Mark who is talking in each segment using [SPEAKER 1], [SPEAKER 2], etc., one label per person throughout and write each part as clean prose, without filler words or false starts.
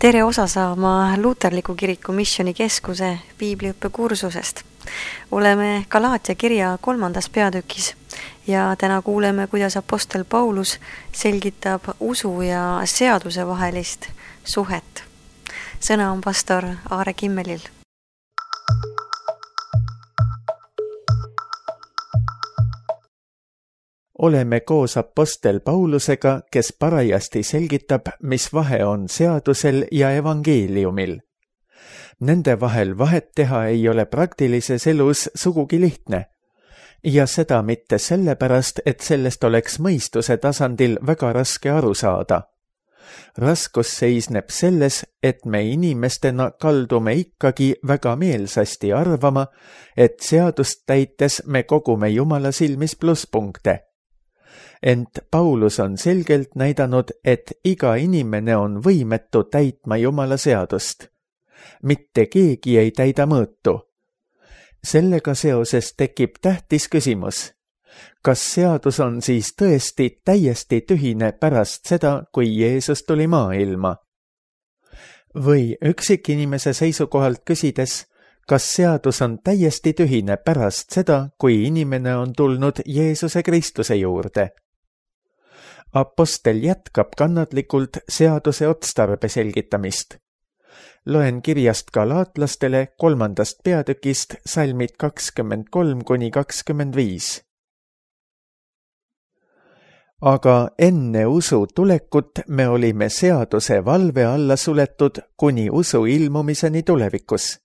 [SPEAKER 1] Tere osa saama Luterliku Kiriku Missioonikeskuse piibliõppekursusest. Oleme Galaatia kirja 3. peatükis ja täna kuuleme, kuidas apostel Paulus selgitab usu ja seaduse vahelist suhet. Sõna on pastor Aare Kimmelil.
[SPEAKER 2] Oleme koos apostel Paulusega, kes parajasti selgitab, mis vahe on seadusel ja evangeeliumil. Nende vahel vahet teha ei ole praktilises elus sugugi lihtne. Ja seda mitte sellepärast, et sellest oleks mõistuse tasandil väga raske aru saada. Raskus seisneb selles, et me inimestena kaldume ikkagi väga meelsasti arvama, et seadust täites me kogume Jumala silmis plusspunkte. Ent Paulus on selgelt näidanud, et iga inimene on võimetu täitma Jumala seadust. Mitte keegi ei täida mõõtu. Sellega seoses tekib tähtis küsimus. Kas seadus on siis tõesti täiesti tühine pärast seda, kui Jeesus tuli maailma? Või üksikinimese seisukohalt küsides, kas seadus on täiesti tühine pärast seda, kui inimene on tulnud Jeesuse Kristuse juurde? Apostel jätkab kannatlikult seaduse otstarbe selgitamist. Loen kirjast galaatlastele 3. peatükist salmid 23–25. Aga enne usu tulekut me olime seaduse valve alla suletud kuni usu ilmumiseni tulevikus.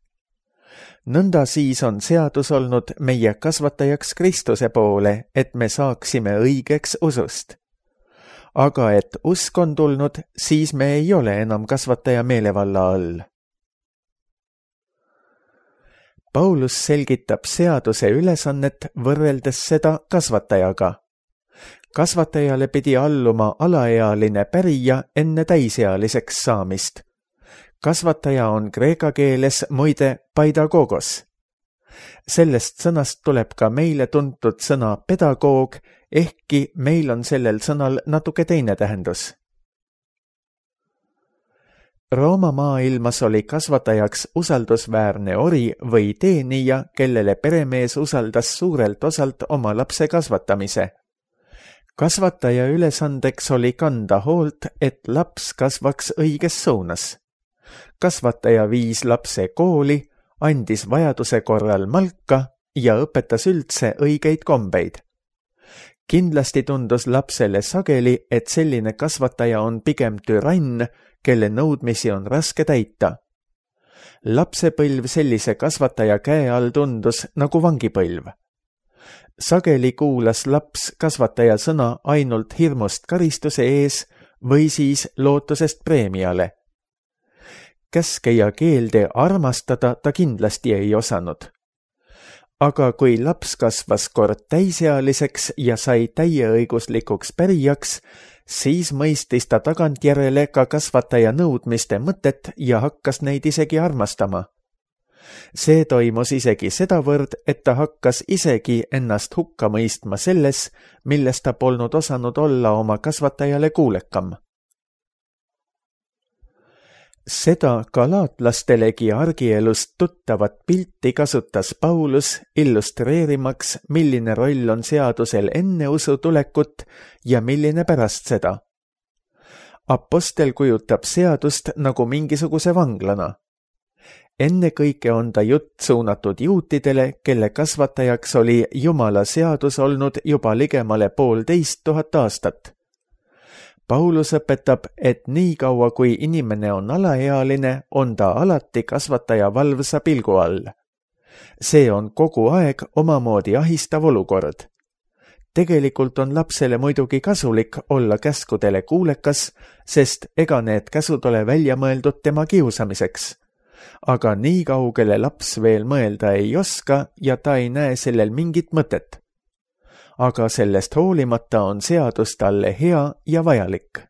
[SPEAKER 2] Nõnda siis on seadus olnud meie kasvatajaks Kristuse poole, et me saaksime õigeks usust. Aga et usk on tulnud, siis me ei ole enam kasvataja meelevalla all. Paulus selgitab seaduse ülesannet võrreldes seda kasvatajaga. Kasvatajale pidi alluma alaealine pärija enne täisealiseks saamist. Kasvataja on kreeka keeles muide paidagogos. Sellest sõnast tuleb ka meile tuntud sõna pedagoog, ehkki meil on sellel sõnal natuke teine tähendus. Rooma maailmas oli kasvatajaks usaldusväärne ori või teenija, kellele peremees usaldas suurelt osalt oma lapse kasvatamise. Kasvataja ülesandeks oli kanda hoolt, et laps kasvaks õiges suunas. Kasvataja viis lapse kooli, andis vajaduse korral malka ja õpetas üldse õigeid kombeid. Kindlasti tundus lapsele sageli, et selline kasvataja on pigem türann, kelle nõudmisi on raske täita. Lapsepõlv sellise kasvataja käe all tundus nagu vangipõlv. Sageli kuulas laps kasvataja sõna ainult hirmust karistuse ees või siis lootusest preemiale. Käske ja keelde armastada ta kindlasti ei osanud. Aga kui laps kasvas kord täisealiseks ja sai täieõiguslikuks pärijaks, siis mõistis ta tagantjärele ka kasvataja nõudmiste mõtet ja hakkas neid isegi armastama. See toimus isegi sedavõrd, et ta hakkas isegi ennast hukka mõistma selles, milles ta polnud osanud olla oma kasvatajale kuulekam. Seda galaatlastelegi argielust tuttavat pilti kasutas Paulus illustreerimaks, milline roll on seadusel enne usu tulekut ja milline pärast seda. Apostel kujutab seadust nagu mingisuguse vanglana. Ennekõike on ta jutt suunatud juutidele, kelle kasvatajaks oli Jumala seadus olnud juba ligemale 1500 aastat. Paulus õpetab, et nii kaua kui inimene on alaealine, on ta alati kasvataja valvsa pilgu all. See on kogu aeg omamoodi ahistav olukord. Tegelikult on lapsele muidugi kasulik olla käskudele kuulekas, sest ega need käsud ole välja mõeldud tema kiusamiseks. Aga nii kaugele laps veel mõelda ei oska ja ta ei näe sellel mingit mõtet. Aga sellest hoolimata on seadus talle hea ja vajalik.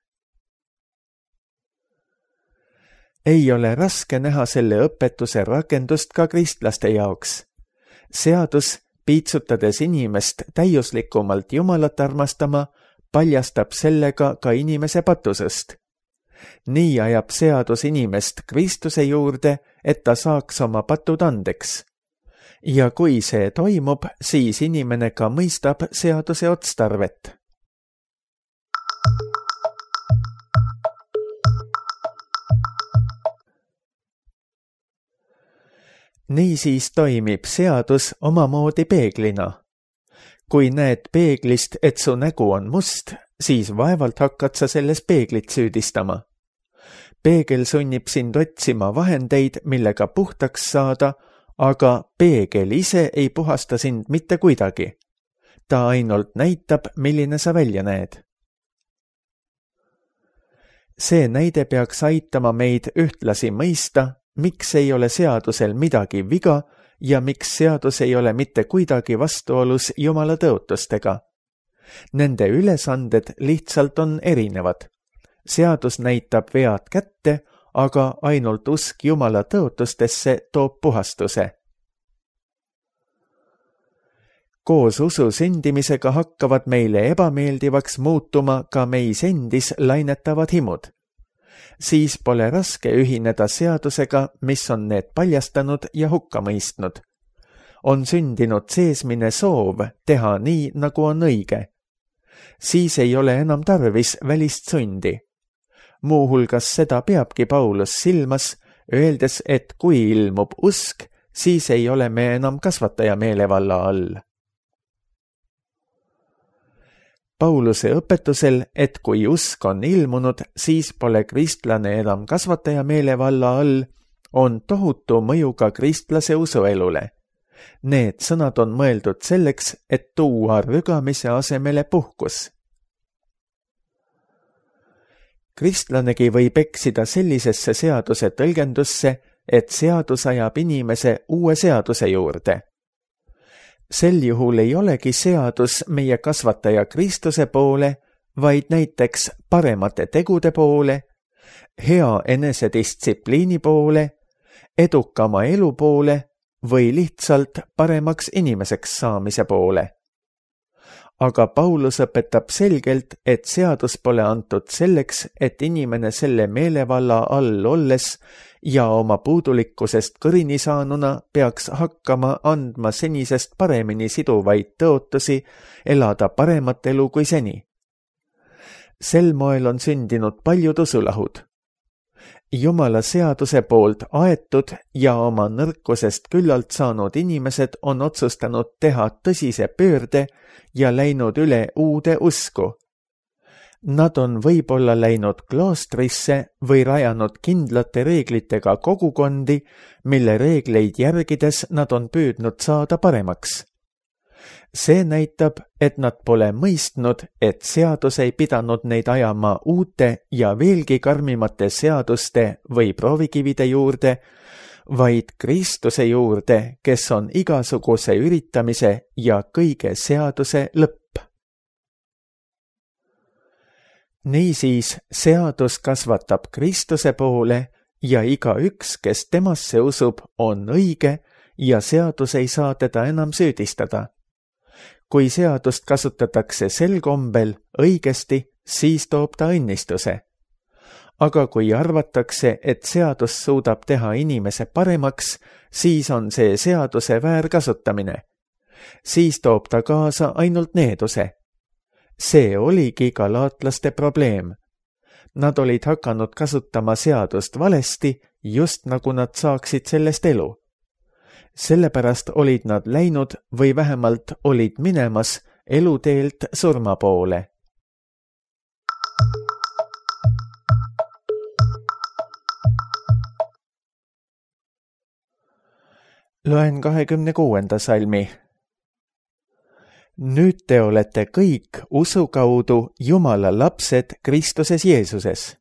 [SPEAKER 2] Ei ole raske näha selle õpetuse rakendust ka kristlaste jaoks. Seadus, piitsutades inimest täiuslikumalt Jumalat armastama, paljastab sellega ka inimese patusest. nii ajab seadus inimest Kristuse juurde, et ta saaks oma patud andeks. Ja kui see toimub, siis inimene ka mõistab seaduse otstarvet. Niisiis toimib seadus omamoodi peeglina. Kui näed peeglist, et su nägu on must, siis vaevalt hakkad sa selles peeglit süüdistama. Peegel sunnib sind otsima vahendeid, millega puhtaks saada, aga peegel ise ei puhasta sind mitte kuidagi. Ta ainult näitab, milline sa välja näed. See näide peaks aitama meid ühtlasi mõista, miks ei ole seadusel midagi viga ja miks seadus ei ole mitte kuidagi vastuolus Jumala tõotustega. Nende ülesanded lihtsalt on erinevad. Seadus näitab vead kätte, aga ainult usk Jumala tõotustesse toob puhastuse. Koos usu sündimisega hakkavad meile ebameeldivaks muutuma ka meis endis lainetavad himud. Siis pole raske ühineda seadusega, mis on need paljastanud ja hukka mõistnud. On sündinud seesmine soov teha nii, nagu on õige. Siis ei ole enam tarvis välist sundi. Muuhulgas seda peabki Paulus silmas, öeldes, et kui ilmub usk, siis ei ole me enam kasvataja meelevalla all. Pauluse õpetusel, et kui usk on ilmunud, siis pole kristlane enam kasvataja meelevalla all, on tohutu mõju ka kristlase usuelule. Need sõnad on mõeldud selleks, et tuua rügamise asemele puhkus. Kristlanegi võib eksida sellisesse seaduse tõlgendusse, et seadus ajab inimese uue seaduse juurde. Sel juhul ei olegi seadus meie kasvataja Kristuse poole, vaid näiteks paremate tegude poole, hea enesedistsipliini poole, edukama elu poole või lihtsalt paremaks inimeseks saamise poole. Aga Paulus õpetab selgelt, et seadus pole antud selleks, et inimene selle meelevalla all olles ja oma puudulikkusest kõrini saanuna peaks hakkama andma senisest paremini siduvaid tõotusi, elada paremat elu kui seni. Sel moel on sündinud paljud usulahud. Jumala seaduse poolt aetud ja oma nõrkusest küllalt saanud inimesed on otsustanud teha tõsise pöörde ja läinud üle uude usku. Nad on võib-olla läinud kloostrisse või rajanud kindlate reeglitega kogukondi, mille reegleid järgides nad on püüdnud saada paremaks. See näitab, et nad pole mõistnud, et seadus ei pidanud neid ajama uute ja veelgi karmimate seaduste või proovikivide juurde, vaid Kristuse juurde, kes on igasuguse üritamise ja kõige seaduse lõpp. Niisiis, seadus kasvatab Kristuse poole ja igaüks, kes temasse usub, on õige ja seadus ei saa teda enam süüdistada. Kui seadust kasutatakse sel kombel õigesti, siis toob ta õnnistuse. Aga kui arvatakse, et seadus suudab teha inimese paremaks, siis on see seaduse väärkasutamine. Siis toob ta kaasa ainult needuse. See oligi galaatlaste probleem. Nad olid hakanud kasutama seadust valesti, just nagu nad saaksid sellest elu. Sellepärast olid nad läinud või vähemalt olid minemas eluteelt surma poole. Loen 26. salmi. Nüüd te olete kõik usu kaudu Jumala lapsed Kristuses Jeesuses.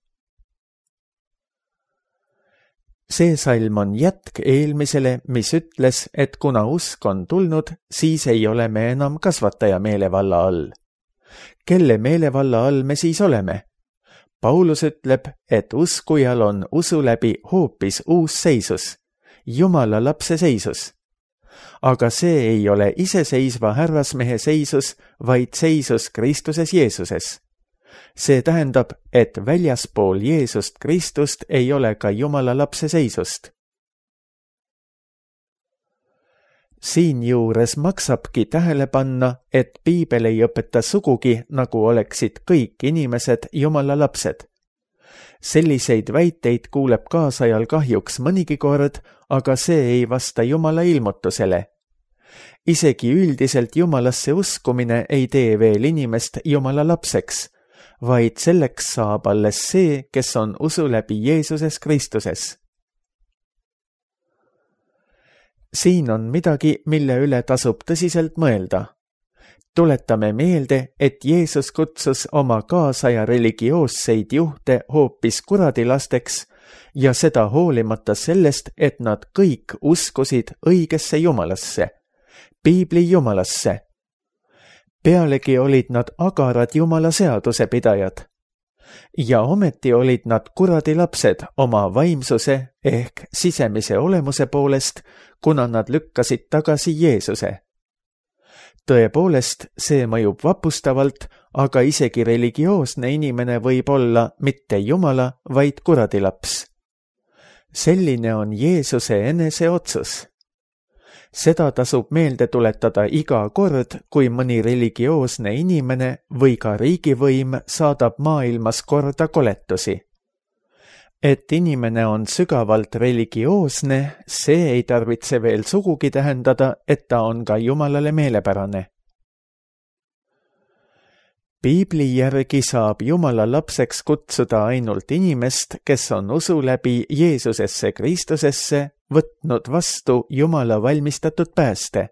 [SPEAKER 2] See salm on jätk eelmisele, mis ütles, et kuna usk on tulnud, siis ei ole me enam kasvataja meelevalla all. Kelle meelevalla all me siis oleme? Paulus ütleb, et uskujal on usu läbi hoopis uus seisus, Jumala lapse seisus. Aga see ei ole iseseisva härrasmehe seisus, vaid seisus Kristuses Jeesuses. See tähendab, et väljaspool Jeesust Kristust ei ole ka Jumala lapse seisust. Siinjuures maksabki tähele panna, et piibel ei õpeta sugugi, nagu oleksid kõik inimesed Jumala lapsed. Selliseid väiteid kuuleb kaasajal kahjuks mõnigi kord, aga see ei vasta Jumala ilmutusele. Isegi üldiselt Jumalasse uskumine ei tee veel inimest Jumala lapseks, vaid selleks saab alles see, kes on usu läbi Jeesuses Kristuses. Siin on midagi, mille üle tasub tõsiselt mõelda. Tuletame meelde, et Jeesus kutsus oma kaasaja religioosseid juhte hoopis kuradilasteks ja seda hoolimata sellest, et nad kõik uskusid õigesse Jumalasse, piibli Jumalasse. Pealegi olid nad agarad Jumala seaduse pidajad. Ja ometi olid nad kuradilapsed oma vaimsuse ehk sisemise olemuse poolest, kuna nad lükkasid tagasi Jeesuse. Tõepoolest, see mõjub vapustavalt, aga isegi religioosne inimene võib olla mitte Jumala, vaid kuradilaps. Selline on Jeesuse enese otsus. Seda tasub meelde tuletada iga kord, kui mõni religioosne inimene või ka riigivõim saadab maailmas korda koletusi. Et inimene on sügavalt religioosne, see ei tarvitse veel sugugi tähendada, et ta on ka Jumalale meelepärane. Piibli järgi saab Jumala lapseks kutsuda ainult inimest, kes on usu läbi Jeesusesse Kristusesse võtnud vastu Jumala valmistatud pääste.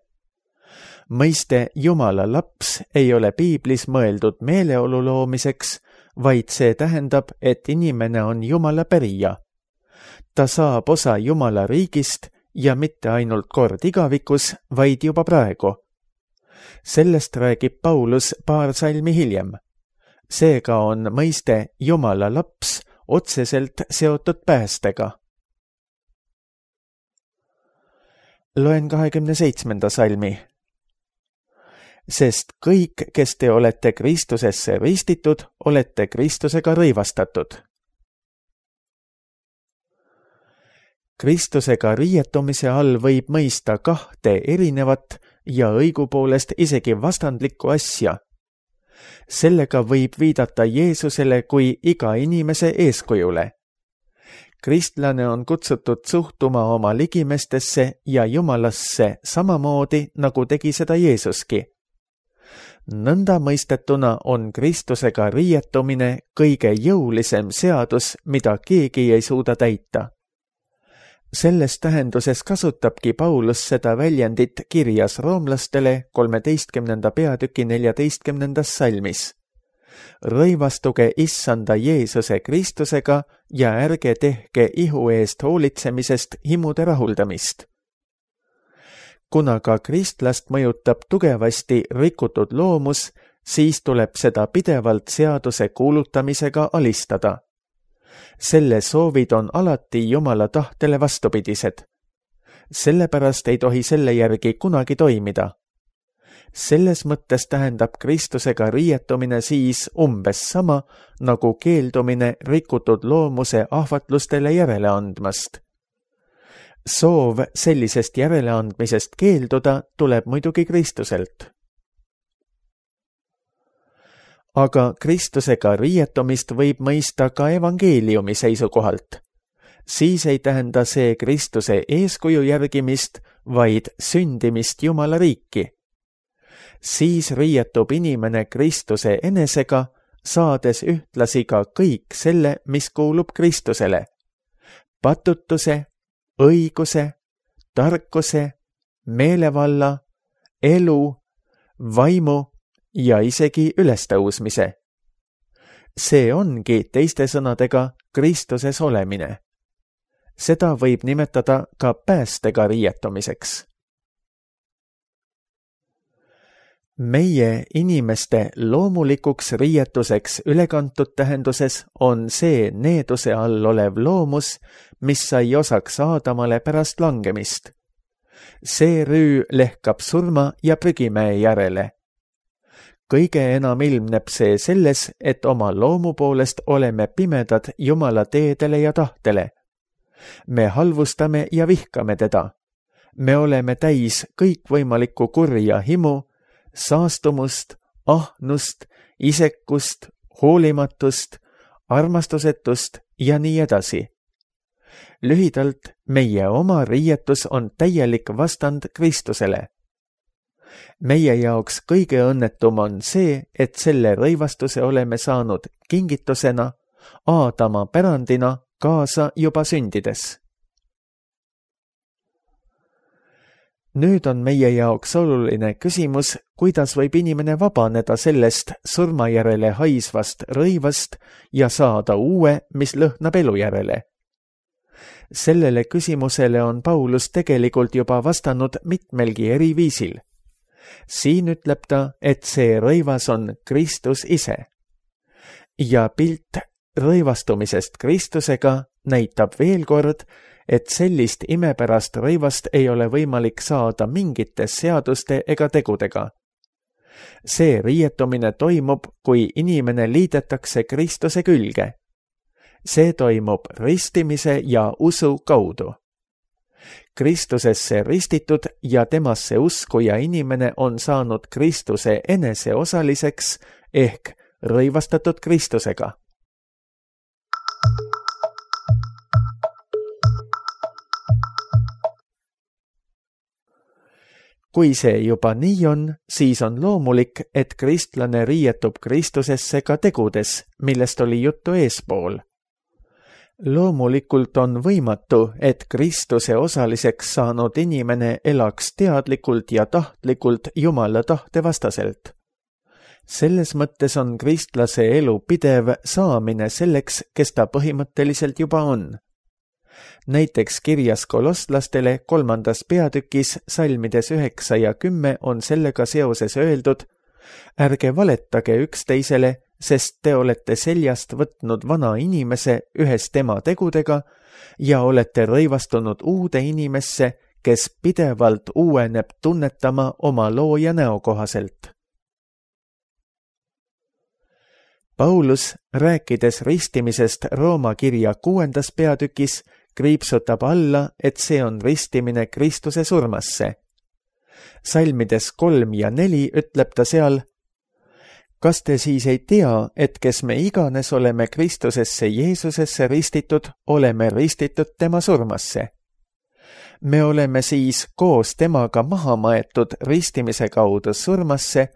[SPEAKER 2] Mõiste Jumala laps ei ole piiblis mõeldud meeleolu loomiseks, vaid see tähendab, et inimene on Jumala pärija. Ta saab osa Jumala riigist ja mitte ainult kord igavikus, vaid juba praegu. Sellest räägib Paulus paar salmi hiljem. Seega on mõiste Jumala laps otseselt seotud päästega. Loen 27. salmi. Sest kõik, kes te olete Kristusesse ristitud, olete Kristusega rõivastatud. Kristusega riietumise all võib mõista kahte erinevat ja õigupoolest isegi vastandlikku asja. Sellega võib viidata Jeesusele kui iga inimese eeskujule. Kristlane on kutsutud suhtuma oma ligimestesse ja Jumalasse samamoodi, nagu tegi seda Jeesuski. Nõnda mõistetuna on Kristusega riietumine kõige jõulisem seadus, mida keegi ei suuda täita. Selles tähenduses kasutabki Paulus seda väljendit kirjas roomlastele 13. peatüki 14. salmis. Rõivastuge issanda Jeesuse Kristusega ja ärge tehke ihu eest hoolitsemisest himude rahuldamist. Kuna ka kristlast mõjutab tugevasti rikutud loomus, siis tuleb seda pidevalt seaduse kuulutamisega alistada. Selle soovid on alati Jumala tahtele vastupidised. Sellepärast ei tohi selle järgi kunagi toimida. Selles mõttes tähendab Kristusega riietumine siis umbes sama, nagu keeldumine rikutud loomuse ahvatlustele järele andmast. Soov sellisest järeleandmisest keelduda tuleb muidugi Kristuselt. Aga Kristusega riietumist võib mõista ka evangeeliumi seisukohalt. Siis ei tähenda see Kristuse eeskuju järgimist, vaid sündimist Jumala riiki. Siis riietub inimene Kristuse enesega, saades ühtlasi ka kõik selle, mis kuulub Kristusele. Patutuse, õiguse, tarkuse, meelevalla, elu, vaimu ja isegi ülestõusmise. See ongi teiste sõnadega Kristuses olemine. Seda võib nimetada ka päästega riietumiseks. Meie inimeste loomulikuks riietuseks ülekantud tähenduses on see needuse all olev loomus, mis sai osaks Aadamale pärast langemist. See rüü lehkab surma ja prügimäe järele. kõige enam ilmneb see selles, et oma loomu poolest oleme pimedad Jumala teedele ja tahtele. Me halvustame ja vihkame teda. Me oleme täis kõikvõimalikku kurja himu, saastumust, ahnust, isekust, hoolimatust, armastusetust ja nii edasi. Lühidalt, meie oma riietus on täielik vastand Kristusele. Meie jaoks kõige õnnetum on see, et selle rõivastuse oleme saanud kingitusena, Aadama pärandina kaasa juba sündides. Nüüd on meie jaoks oluline küsimus, kuidas võib inimene vabaneda sellest surmajärele haisvast rõivast ja saada uue, mis lõhnab elu järele. Sellele küsimusele on Paulus tegelikult juba vastanud mitmelgi eri viisil. Siin ütleb ta, et see rõivas on Kristus ise. Ja pilt rõivastumisest Kristusega näitab veel kord, et sellist imepärast rõivast ei ole võimalik saada mingite seaduste ega tegudega. See riietumine toimub, kui inimene liidetakse Kristuse külge. See toimub ristimise ja usu kaudu. Kristusesse ristitud ja temasse uskuja inimene on saanud Kristuse enese osaliseks ehk rõivastatud Kristusega. Kui see juba nii on, siis on loomulik, et kristlane riietub Kristusesse ka tegudes, millest oli juttu eespool. Loomulikult on võimatu, et Kristuse osaliseks saanud inimene elaks teadlikult ja tahtlikult Jumala tahte vastaselt. Selles mõttes on kristlase elu pidev saamine selleks, kes ta põhimõtteliselt juba on. Näiteks kirjas kolosslastele 3. peatükis salmides 9 ja 10 on sellega seoses öeldud: ärge valetage üksteisele, sest te olete seljast võtnud vana inimese ühes tema tegudega ja olete rõivastunud uude inimesse, kes pidevalt uueneb tunnetama oma looja näo kohaselt. Paulus, rääkides ristimisest Rooma kirja 6. peatükis, kriipsutab alla, et see on ristimine Kristuse surmasse. Salmides 3 ja 4 ütleb ta seal: kas te siis ei tea, et kes me iganes oleme Kristusesse Jeesusesse ristitud, oleme ristitud tema surmasse? Me oleme siis koos temaga maha maetud ristimise kaudu surmasse,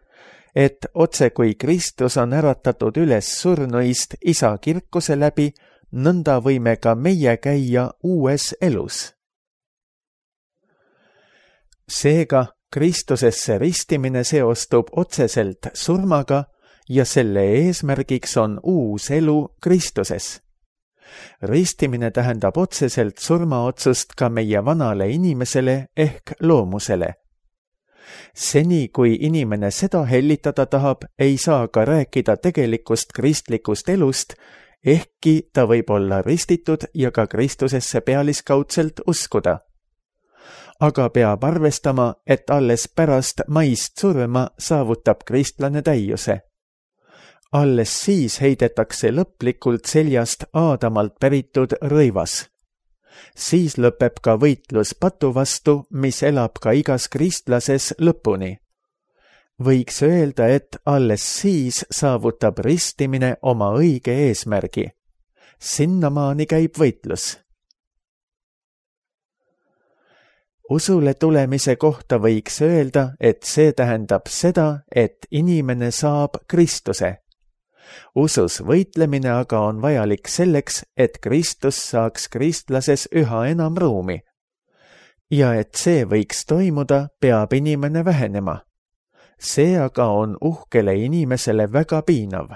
[SPEAKER 2] et otse kui Kristus on äratatud üles surnuist Isa kirkuse läbi, nõnda võime ka meie käia uues elus. Seega, Kristusesse ristimine seostub otseselt surmaga ja selle eesmärgiks on uus elu Kristuses. Ristimine tähendab otseselt surmaotsust ka meie vanale inimesele ehk loomusele. Seni, kui inimene seda hellitada tahab, ei saa ka rääkida tegelikust kristlikust elust, ehkki ta võib olla ristitud ja ka Kristusesse pealiskaudselt uskuda. Aga peab arvestama, et alles pärast maist surma saavutab kristlane täiuse. Alles siis heidetakse lõplikult seljast Aadamalt päritud rõivas. Siis lõpeb ka võitlus patu vastu, mis elab ka igas kristlases lõpuni. Võiks öelda, et alles siis saavutab ristimine oma õige eesmärgi. Sinnamaani käib võitlus. Usule tulemise kohta võiks öelda, et see tähendab seda, et inimene saab Kristuse. Usus võitlemine aga on vajalik selleks, et Kristus saaks kristlases üha enam ruumi. Ja et see võiks toimuda, peab inimene vähenema. See aga on uhkele inimesele väga piinav.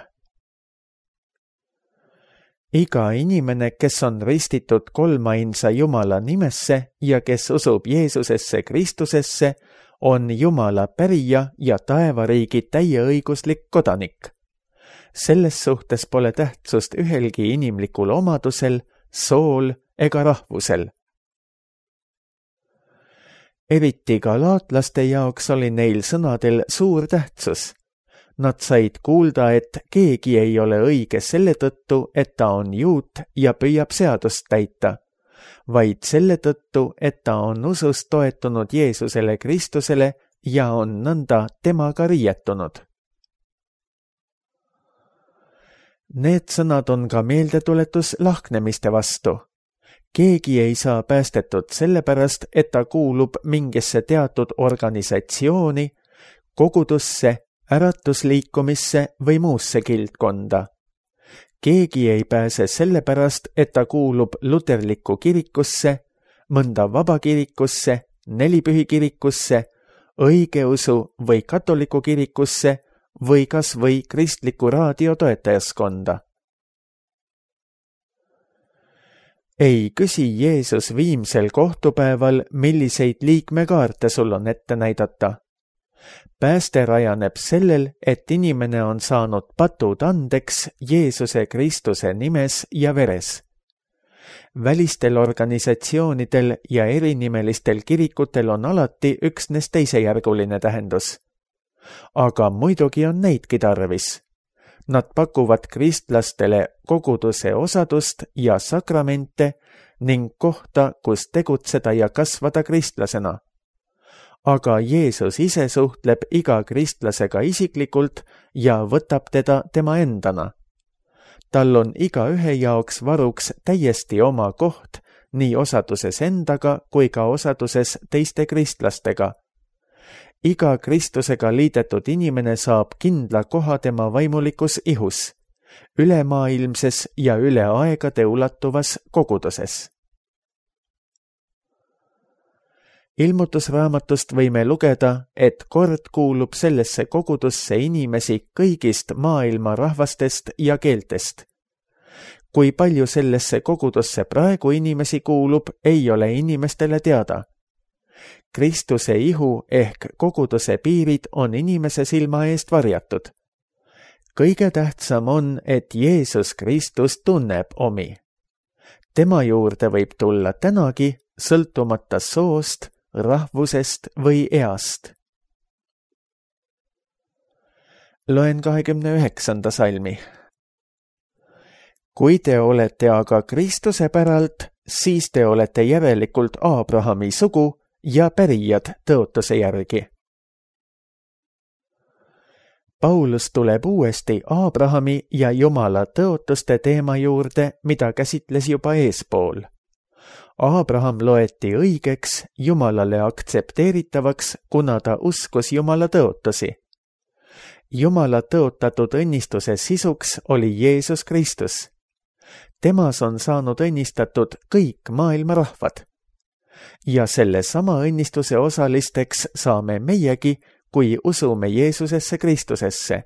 [SPEAKER 2] Iga inimene, kes on ristitud kolmainsa Jumala nimesse ja kes usub Jeesusesse Kristusesse, on Jumala pärija ja taevariigi täieõiguslik kodanik. Selles suhtes pole tähtsust ühelgi inimlikul omadusel, sool ega rahvusel. Eriti galaatlaste jaoks oli neil sõnadel suur tähtsus. Nad said kuulda, et keegi ei ole õige selle tõttu, et ta on juut ja püüab seadust täita, vaid selle tõttu, et ta on usus toetunud Jeesusele Kristusele ja on nõnda temaga riietunud. Need sõnad on ka meeldetuletus lahknemiste vastu. Keegi ei saa päästetud sellepärast, et ta kuulub mingisse teatud organisatsiooni, kogudusse, äratusliikumisse või muusse kildkonda. Keegi ei pääse sellepärast, et ta kuulub luterlikku kirikusse, mõnda vabakirikusse, nelipühikirikusse, õigeusu või katoliku kirikusse või kas või kristliku raadio toetajaskonda. Ei küsi Jeesus viimsel kohtupäeval, milliseid liikmekaarte sul on ette näidata. Pääste rajaneb sellel, et inimene on saanud patud andeks Jeesuse Kristuse nimes ja veres. Välistel organisatsioonidel ja erinimelistel kirikutel on alati üksnes teisejärguline tähendus. Aga muidugi on neidki tarvis. Nad pakuvad kristlastele koguduse osadust ja sakramente ning kohta, kus tegutseda ja kasvada kristlasena. Aga Jeesus ise suhtleb iga kristlasega isiklikult ja võtab teda tema endana. Tal on igaühe jaoks varuks täiesti oma koht, nii osaduses endaga kui ka osaduses teiste kristlastega. Iga Kristusega liidetud inimene saab kindla koha tema vaimulikus ihus, ülemaailmses ja üle aegade ulatuvas koguduses. Ilmutusraamatust võime lugeda, et kord kuulub sellesse kogudusse inimesi kõigist maailma rahvastest ja keeltest. Kui palju sellesse kogudusse praegu inimesi kuulub, ei ole inimestele teada. Kristuse ihu ehk koguduse piirid on inimese silma eest varjatud. Kõige tähtsam on, et Jeesus Kristus tunneb omi. Tema juurde võib tulla tänagi, sõltumata soost, rahvusest või east. Loen 29. salmi. Kui te olete aga Kristuse päralt, siis te olete järelikult Abrahami sugu ja pärijad tõotuse järgi. Paulus tuleb uuesti Abrahami ja Jumala tõotuste teema juurde, mida käsitles juba eespool. Abraham loeti õigeks, Jumalale aktsepteeritavaks, kuna ta uskus Jumala tõotusi. Jumala tõotatud õnnistuse sisuks oli Jeesus Kristus. Temas on saanud õnnistatud kõik maailma rahvad. Ja selle sama õnnistuse osalisteks saame meiegi, kui usume Jeesusesse Kristusesse.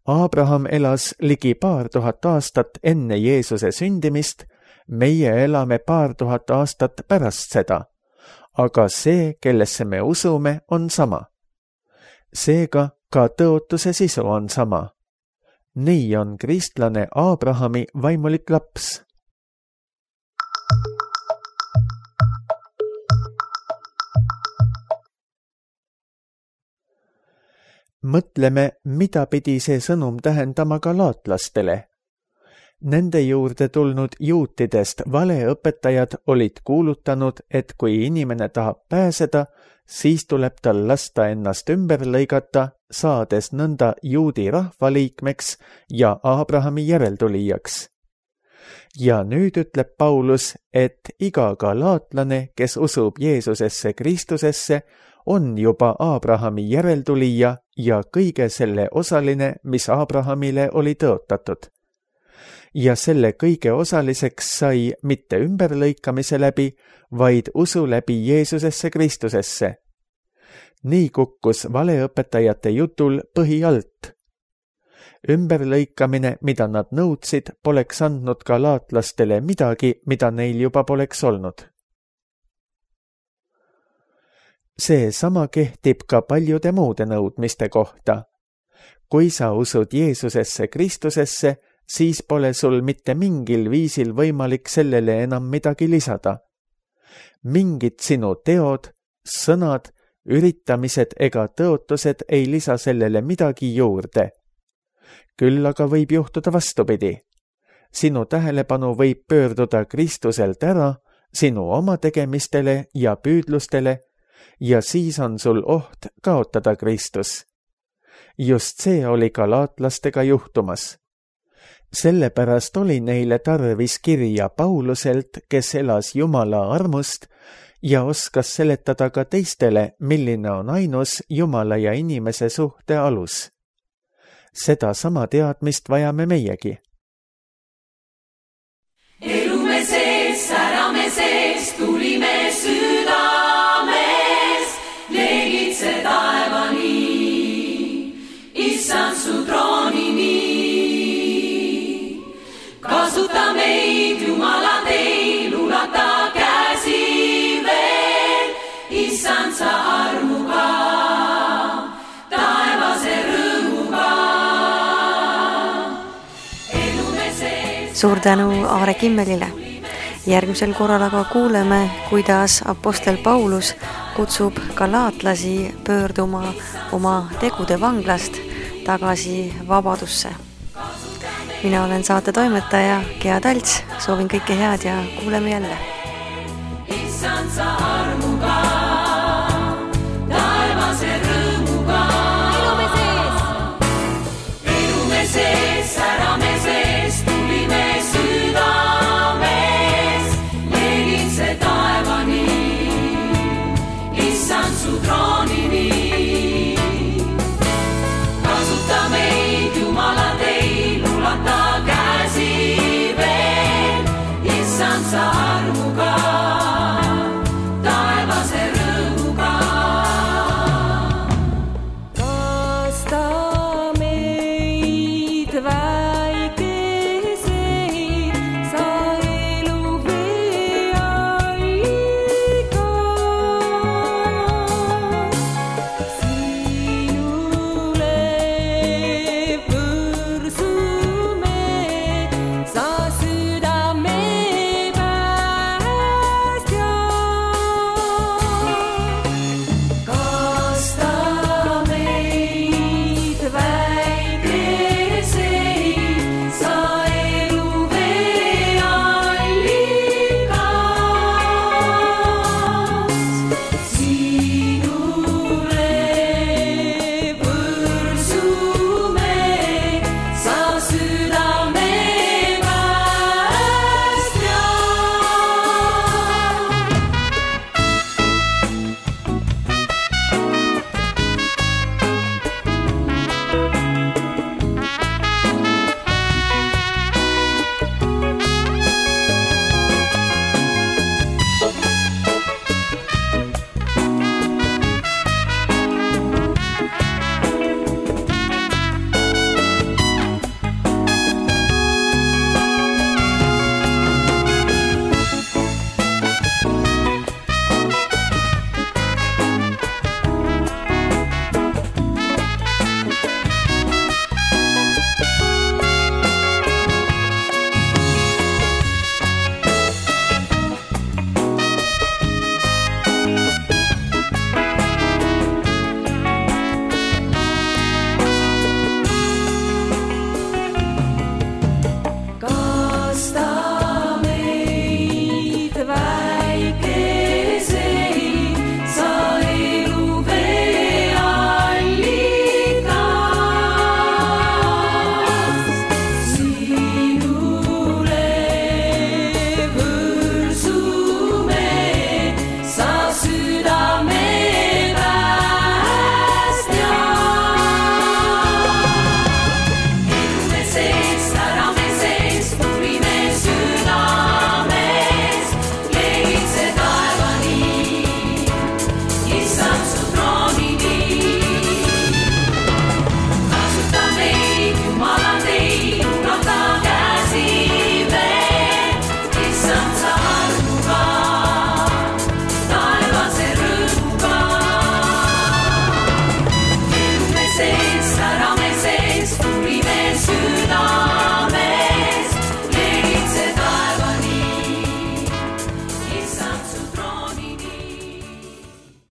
[SPEAKER 2] Abraham elas ligi 2000 aastat enne Jeesuse sündimist, meie elame 2000 aastat pärast seda, aga see, kellesse me usume, on sama. Seega ka tõotuse sisu on sama. Nii on kristlane Abrahami vaimulik laps. Mõtleme, mida pidi see sõnum tähendama galaatlastele. Nende juurde tulnud juutidest valeõpetajad olid kuulutanud, et kui inimene tahab pääseda, siis tuleb tal lasta ennast ümber lõigata, saades nõnda juudi rahvaliikmeks ja Abrahami järeltulijaks. Ja nüüd ütleb Paulus, et iga galaatlane, kes usub Jeesusesse Kristusesse, on juba Abrahami järeltulija ja kõige selle osaline, mis Abrahamile oli tõotatud. Ja selle kõige osaliseks sai mitte ümberlõikamise läbi, vaid usu läbi Jeesusesse Kristusesse. Nii kukkus valeõpetajate jutul põhi alt. Ümberlõikamine, mida nad nõudsid, poleks andnud galaatlastele midagi, mida neil juba poleks olnud. See sama kehtib ka paljude muude nõudmiste kohta. Kui sa usud Jeesusesse Kristusesse, siis pole sul mitte mingil viisil võimalik sellele enam midagi lisada. Mingid sinu teod, sõnad, üritamised ega tõotused ei lisa sellele midagi juurde. Küll aga võib juhtuda vastupidi. Sinu tähelepanu võib pöörduda Kristuselt ära, sinu oma tegemistele ja püüdlustele, ja siis on sul oht kaotada Kristus. Just see oli galaatlastega juhtumas. Sellepärast oli neile tarvis kirja Pauluselt, kes elas Jumala armust ja oskas seletada ka teistele, milline on ainus Jumala ja inimese suhte alus. Seda sama teadmist vajame meiegi.
[SPEAKER 3] Elume sees, särame sees, tulime südames, leegitse taevani, issand su troonini. Kasuta meid, Jumala teil, ulata käsi veel, issand sa armuga, taevase rõõmuga.
[SPEAKER 1] Suur tänu Aare Kimmelile. Järgmisel korral aga kuuleme, kuidas apostel Paulus kutsub galaatlasi pöörduma oma tegude vanglast tagasi vabadusse. Mina olen saate toimetaja Gea Talts, soovin kõike head ja kuuleme jälle.